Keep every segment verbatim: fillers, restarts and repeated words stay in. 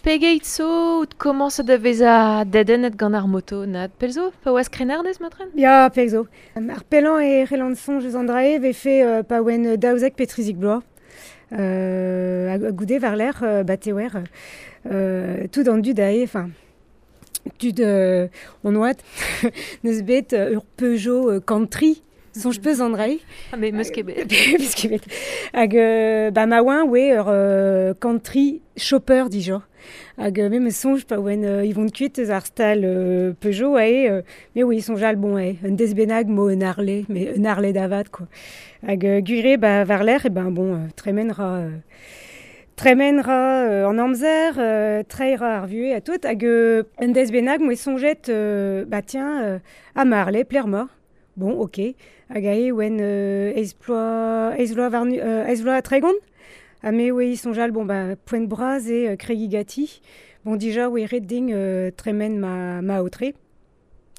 Pegeit zo out komañset da vezañ dedennet gant ar moto nat pell zo? Pa oas krennardez matren? Ya, pell zo. Ar pellañ e c'hellan soñj eus an drae vefe euh, pa oen daouzek pe trizik bloaz. Euh, hag goude war-lerc'h euh, ba tewer euh, tout an dud ae, enfin, tud euh, on oad, neus bet euh, ur Peugeot euh, Country, soñj peus an drae. Ah, mais meus ket bet. Meus ket bet. Hag euh, ba ma oan, oe, ur euh, Country Chopper dija. Hag euh, me me soñj pa oen euh, Yvonne kuit eus ar stal euh, Peugeot ae, euh, me oui, soñjal bon ae, un dez bennak mo un Harley, mais un Harley davat quoi. Hag euh, gwire ba war-lerc'h, e ben bon, euh, tremen ra euh, tremen ra euh, an amzer, euh, treiñ ra ar vuhez ha tout, hag euh, un dez bennak mo soñjet euh, ba tiens, euh, ha ma Harley, pler ma. Bon, ok. Hag ae oen euh, eizh bloaz, eizh bloaz warnu, euh, eizh bloaz ha tregont. Ha me oe soñjal, bon, ba, poent bras eo euh, kregiñ ganti. Bon, dija oe ret din euh, tremen ma, ma aotre.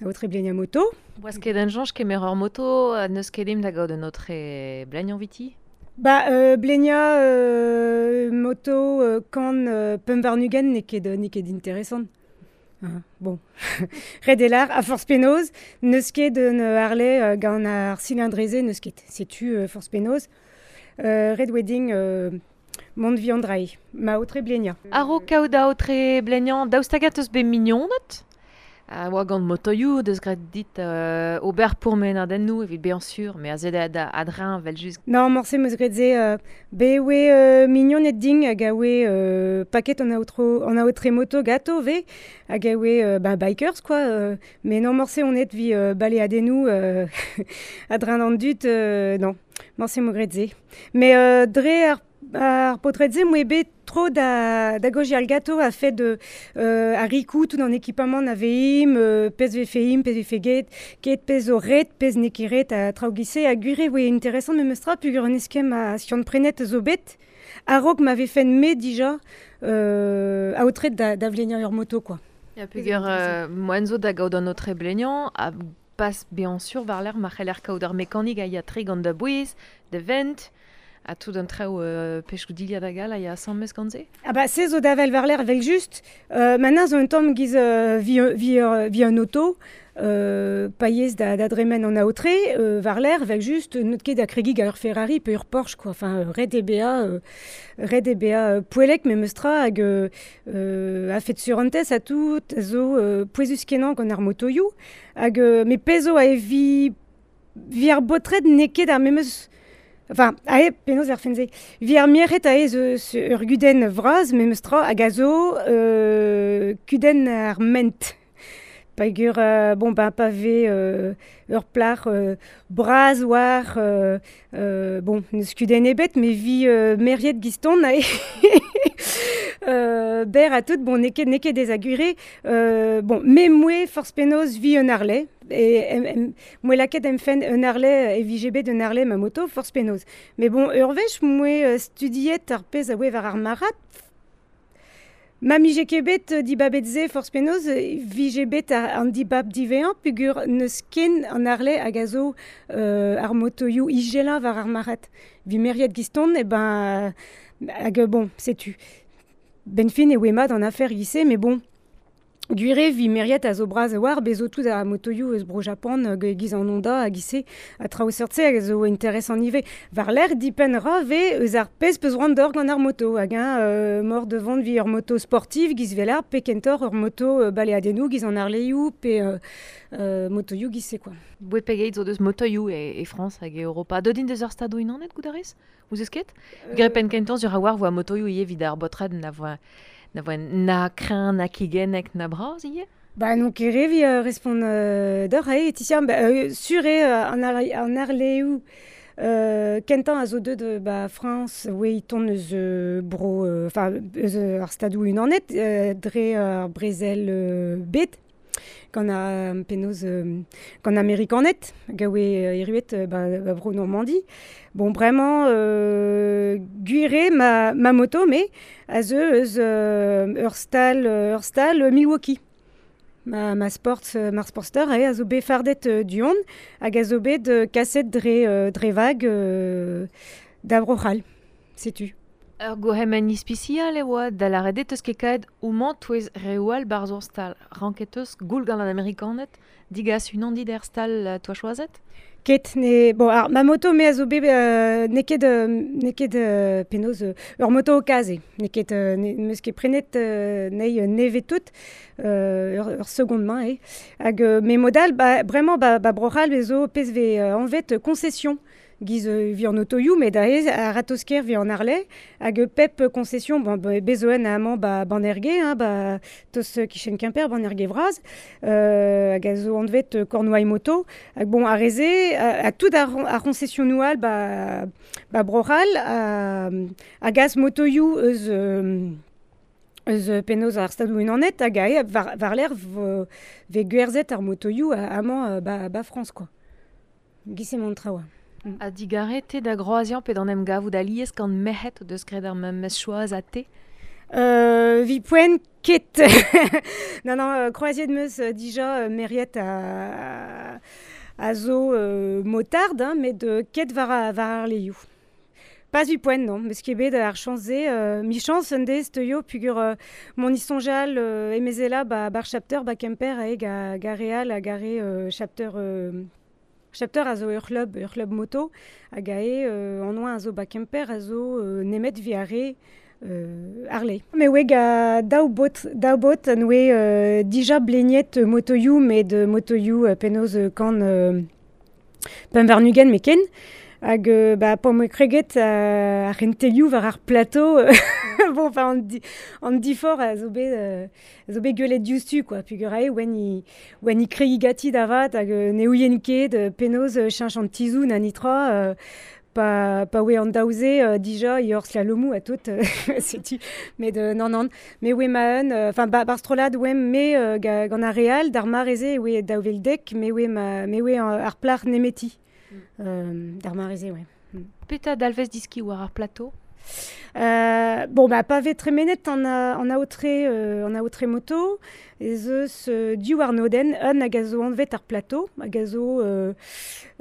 Aotre bleniañ moto. Oas ket en soñj kemer ur moto, ha n'eus ket ezhomm da gaout un aotre bleniañ eviti? Ba, euh, bleniañ euh, moto euh, kant euh, pemp warn-ugent n'eo ket, n'eo ket interesant. Ah, bon. Ret eo lar, a forzh penaos, n'eus ket un Harley euh, gant ar cylindreze n'eus ket. Setu euh, forzh penaos. Euh, ret oe din euh, mont vi an drae. Ma aotre bleniañ. A-raok kaout aotre bleniañ, daoust hag eus bet mignoned? A oa gant motoioù deus graet dit euh, ober pourmenadennoù evit bezañ sur, mais aze da, da a-dreñv vel just. Non, morse 'm eus graet se, euh, bet oe euh, mignoned din hag a oe euh, paket an aotro, an aotre moto gato ve, hag a oe euh, ba, bikers quoi, euh, mais non, morse on et vi euh, baleadennoù euh, a-dreñv an dud, euh, non, morse 'm eus graet se. Mais euh, dre ar ar paotred-se 'm boa bet tro da, da gaozeal gato a fed euh, ar rikoù tout an ekipamant a veimp, euh, pezh vefe im, pezh vefe get, ket pezh zo ret, pezh n'eo ket ret ha traoù giz-se, ha gwir eo oe interesant memes tra peogwir un eskemm a skiant-prenet zo bet, a-raok ma vefen me dija euh, aotret da, da vleniañ ur moto quoi. Ya peogwir euh, moaien zo da gaout an aotre bleniañ, ha pas bezañ sur war-lerc'h ma c'heller kaout ur mekanik a ya tre gant da bouez, da vent, ha tout an traoù euh, pechoù dilhad hag all a ya asambles gant se? Ah bah se zo da wel war-lerc'h vel just. Euh, maintenant zo un tamm giz euh, vi, vi, vi un auto, euh, païez da, da dremen an aotre, euh, war-lerc'h vel just n'eus ket da kregiñ gant ur Ferrari pe ur Porsche quoi. Enfin, euh, ret eo bezañ, euh, ret eo bezañ, euh, poellek memes tra hag euh, euh, a fet surentez ha tout zo euh, pouezus kenañ gant ar motoioù. Hag euh, me pezh zo a vi, vi ar baotred n'eo ket ar memes. Enfin, ae, penaos ar fen-se. Vi ar merc'hed ae eus ur gudenn vras memes tra hag a zo euh, kudenn ar ment. Peogwir, euh, bon, ben, pa vez euh, ur plac'h euh, bras war, euh, euh, bon, n'eus kudenn ebet, mais vi euh, merc'hed giston ae. euh, ber ha tout, bon, n'eo ket, n'eo ket dezagure. Euh, bon, me moe forzh penaos vi un Harley. E, em, em, moe lakaet em fenn un Harley, e vije bet un Harley ma moto, forzh penaos. Mais bon, ur wech moe euh, studiet ar pezh a oe war ar marc'had, ma mije ket bet dibabet se forzh penaos, vije bet ar, an dibab diwezhañ peogwir n'eus ken an Harley hag a zo euh, ar motoioù ijelañ war ar marc'had. Vi merc'hed giston, e ben, hag bon, setu. Ben fin e oe mat an afer giz-se, mais bon, gwir eo vi merc'hed a zo bras war, bez zo tout ar motoioù eus bro Japan, euh, giz an Honda hag giz-se, ha traoù seurt-se hag a zo interesant ivez. War-lerc'h dipenn ra ve eus ar pezh peus c'hoant d'ober gant ar moto, hag eñ euh, mor de vont vi ur moto sportive giz velar, pe kentoc'h ur moto euh, baleadennoù giz an Harleyioù, pe euh, euh, motoioù giz-se quoi. Boe pegeit zo deus motoioù e, e Frañs hag e Europa. Deuet int deus ar Stadoù Unanet goût a rez? Ouzez ket? Euh, Gre penn kentañ sur a war voa motoioù ivez evit ar baotred na voa, na voa na kreñv, na kigennek, na bras ivez? Ba non ket re vi euh, respont euh, deoc'h eo, Laetitia, ba, euh, sur eo euh, an ar, an Harleyioù euh, kentañ a zo deuet euh, ba Frañs oe e tont eus euh, bro, euh, enfin, eus euh, ar Stadoù Unanet, euh, dre ar brezel euh, bet, gant ar penaos euh, gant Amerikaned, hag a oe euh, erruet euh, ba, ba bro Normandi. Bon, bremañ, euh, gwir eo ma, ma moto, me, a zeu eus euh, ur stal, ur stal Milwaukee. Ma, ma sports, ma Sportster eo a zo bet fardet euh, du-hont hag a zo bet euh, kaset dre, euh, dre vag euh, da Bro-C'hall. Setu. Ur gourc'hemenn ispisial e oa da lâret eo teus ket kaet homañ touez reoù all 'barzh ur stal. Ranket teus goul gant an Amerikaned digas unan dit er stal toa choazet? Ket, ne, bon, ar, ma moto me a zo bet euh, n'eo ket, euh, n'eo ket euh, penaos euh, ur moto okaze. N'eo ket, euh, ne, meus ket prenet euh, nei euh, nevez tout, euh, ur, ur seconde main eo. Hag euh, me modal, ba, bremañ ba, ba Bro-C'hall zo pezh vez euh, anvet concession. Giz euh, vi an otoioù, met da ez a ratosker vi an arle, hag pep concession, bon, ba, bezoen a amañ ba Banerge, hein, ba tos kichen Quimper, Banerge vraz, euh, hag a zo anvet Cornouaille moto, hag bon, a reze, a, a tout ar, ar concession noual ba, ba Bro-C'hall, a, a gaz motoioù eus, euh, eus penaos ar stadoù unanet, hag a e war, war l'air vo, ve gwerzhet ar motoioù a, amañ ba, ba France, quoi. Giz emañ an traoù. Mm. Ha digarete da groaziañ pe d'an emgavout alies gant merc'hed o deus graet ar memes choaz ha te? Euh, vi poent ket. Non, non, euh, kroaziet meus euh, dija euh, meriet a, a zo euh, motard, hein, met de ket war, a, war ar leioù. Pas vi poent, non, meus ket bet ar chañs-se, euh, mi chañs un deiz teuio pugur euh, mon isonjal euh, emezela ba, bar chapter ba Kemper hag a gareal a gare euh, chapter... Euh, Chapter a zo ur c'hlub, ur c'hlub moto, hag a eo euh, an oa a zo ba Kemper a zo euh, nemet vi ar re euh, arle. Me oe ga daou bot, daou bot an oe euh, dija bleniet motoioù, met de motoioù euh, penaos euh, kan euh, pemp warn-ugent meken. Hag euh, ba, pa moe kreget euh, ar c'hentelioù war ar plateau, bon, enfin, an, di, an difor a zo bet, euh, a zo bet gwelet diouzhtu, quoi. Pugur ae, oen i, oen i kregi gati davat, hag euh, ne ouien ket, euh, penaos euh, cheñch an tizou na nitra, euh, pa, pa oe an daouze, euh, dija i ur slalomou a tout, euh, setu. Met de, non, non, me oe ma un, enfin, euh, ba, bar strolad oe me euh, ga, gant ar real, d'ar mareze oe daou vel dek, me oe ma, me oe ar plac'h nemeti. Mm. Euh, d'ar mareze, ouais. Mm. Petra dalvez diski war ar plateau? Euh, bon, bah, pa vez tremenet an a, an aotre, euh, an aotre moto, ez eus euh, div arnodenn, un hag a zo anvet ar plateau, hag a zo euh,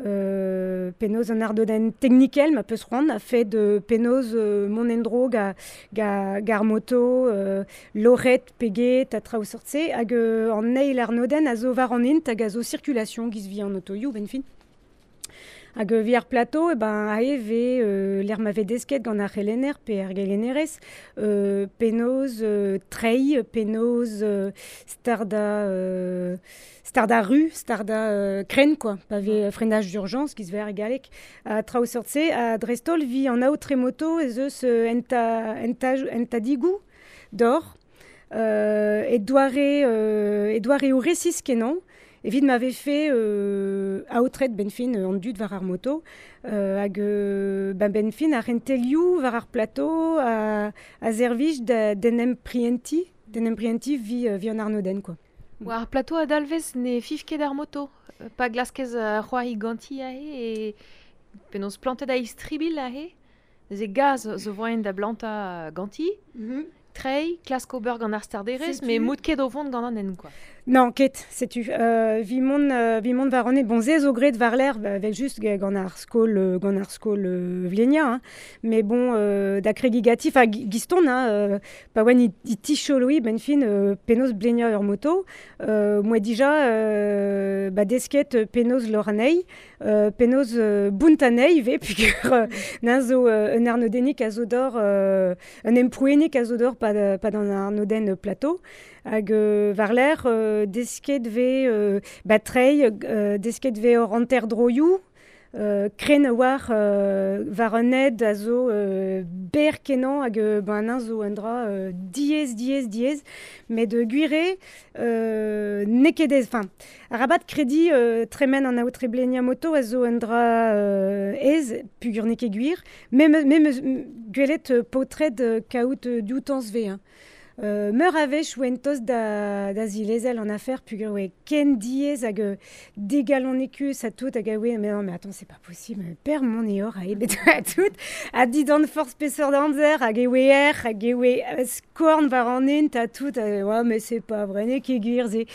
euh, penaos an arnodenn teknikel, ma peus c'hoant, a fait de penaos euh, mont en-dro ga, ga, gar moto, euh, loret, peget, a traoù sort-se, hag euh, an eil arnodenn a zo war an int hag a zo circulation giz vi an otoioù, ben fin. Hag vi ar plateau, e ben, ae ve euh, l'er ma ve desket gant ar c'helenner pe ar gelennerez, euh, penaos euh, treiñ, penaos euh, starda, euh, starda ru, starda euh, kren, quoi, pa ve freinage d'urgence giz ve ar galleg. A traoù sort-se, a dreist-holl vi an aotre moto ez eus enta, enta, enta digou d'or, euh, e doare, euh, e doare o resis kenan. Evit m'avait fait euh, aotret benfin an dud war ar moto, euh, hag euh, ben benfin ar rentelioù war ar plateau a, a zervij da, d'en em prienti, d'en em prienti vi, vi an arnodenn, quoi. War ar plateau a dalvez ne fiv ket ar moto, pa glaskez uh, c'hoari ganti ahe e penaos plantet a istribil ahe, neuze gaz zo voen da blanta ganti, mm-hmm. Trei, klask ober gant ar starderez, mais mout ket o vont gant an en, quoi. Non, ket, setu. Euh, vi mont, euh, vi mont war an bon, ze zo graet war l'air, avec just gant ar skol, gant ar skol euh, vlenia, hein. Mais bon, euh, da kregi gati, enfin, giston, hein, euh, pa oan i, i ticholoi, ben fin, euh, penaos blenia ur moto, euh, moi dija, euh, ba desket penaos lor anei, euh, penaos euh, bunt anei, ve, pugur, euh, nan zo euh, un arnodennik a zo d'or, euh, un emprouennik a zo d'or, pa, pa d'an arnodenn plateau, hag euh, war l'air, euh, desket ve euh, batrei, euh, desket ve ur hanter droioù, euh, kren war, euh, war un ed a zo euh, ber kenan hag euh, ben an zo un dra euh, diez, diez, diez, met de gwire euh, n'eo ket ez, enfin, arabat kredi euh, tremen an aotre blenia moto a zo un dra euh, ez, pugur n'eo ket gwir, me, me, me gwelet euh, paotred euh, kaout euh, dioutañs ve, hein. Euh, meur a wech oen tost da, da zilezel an afer pugur oe ken diez hag euh, degalonekus a tout hag a oe, mais non mais attends c'est pas possible, per mon eor a ebet a tout, a dit an force spesseur d'amzer hag e oe er, hag e oe skorn war an ent a tout, a, ouais, mais c'est pas vrai, ne ket gwir ze.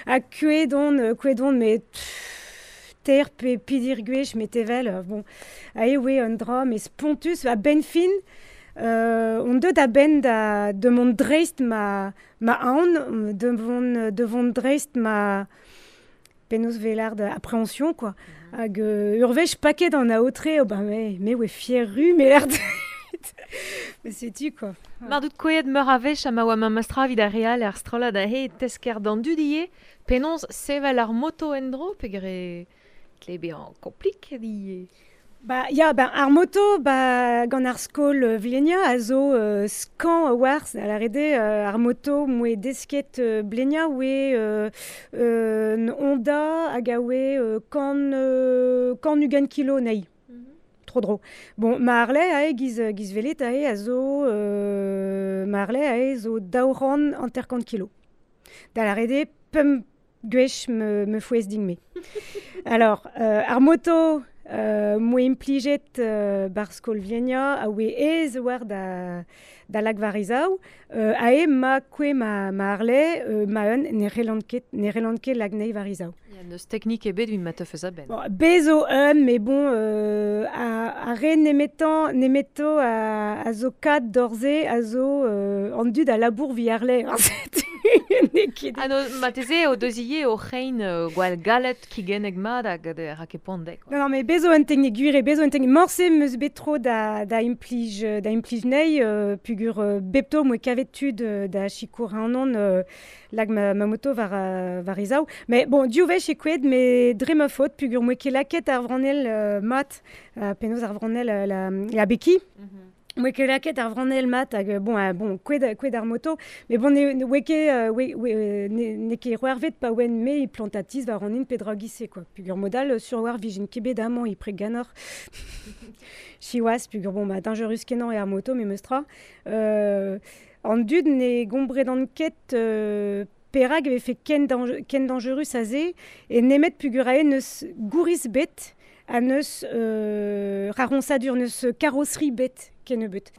Ha kuet on, kuet on, mais pff, ter pe pidir gwech, mais tevel, bon, a e oe un dra, mais spontus, a ben fin, Euh, on deut a ben da de mont dreist ma ma aon, de vont de vont dreist ma penaos velar da appréhension quoi. Mm -hmm. Hag euh, ur wech paket an aotre, oh ben me me oe fier ru me l'air de Mais setu quoi. Mar dout kouet meur a wech ha ma oa ma mastra vid ar real ar strollad a he tesker d'an dudie, penaos sevel ar moto endro pegre tle bezañ komplik di. Ba, ya, ben, ar moto, ba, gant ar skol euh, vlenia a zo euh, skan war, a la rede euh, ar moto moe desket euh, blenia oe euh, euh, Honda hag a oe euh, kan, euh, kan ugent kilo nei. Mm -hmm. Tro dro. Bon, ma arle ae giz, giz velet ae a zo, euh, ma arle ae zo daouran hanter-kant kilo. Da la rede pemp gwech me, me fouez ding me. Alors, euh, ar moto... Euh, moe implijet euh, bar skol Vienia a oe ez war da, da lag varizaou, euh, a e ma kwe ma, ma arle, euh, ma un ne relant ket, ne relant ket lag nei varizaou. Ya neus teknik ebet evit ma teufez a ben. Bon, bezo un, mais bon, euh, a, a re nemetan, nemeto a, a zo kad dorze, a zo euh, an dud a labour vi arle. Ah no, mateze o deuzie o c'hein uh, gwall galet kigeneg mat hag rak e poan dek. Non, non, mais bezo un teknik gwir e bezo un teknik morse meus bet tro da, da implij, da implij nei, euh, pugur euh, bepto moe kavet tud euh, da chikour anon euh, lag ma, ma moto war, uh, war izaou. Mais bon, div wech e kouet, mais dre ma faot, pugur moe ket laket ar vranel euh, mat, euh, penaos ar vranel euh, la, la beki. Mm -hmm. Moe ket laket ar vranel mat hag bon, euh, bon kouet, kouet ar moto, mais bon, ne, ne, oe ket, euh, oe, oe, ne, ne ket c'hoarvet pa oen me e plantatiz war an in pedra gise, quoi. Pugur modal sur war vijin ket bet amañ e pre ganor. Chiwaz, pugur bon, ba, dangerus kenañ e ar moto, me meustra. Euh, an dud ne gombredan ket euh, perak e vefe ken, dange, ken dangerus aze, e nemet pugur ae neus gouriz bet, a neus euh, raronsadur, neus carrosserie bet kennebeut.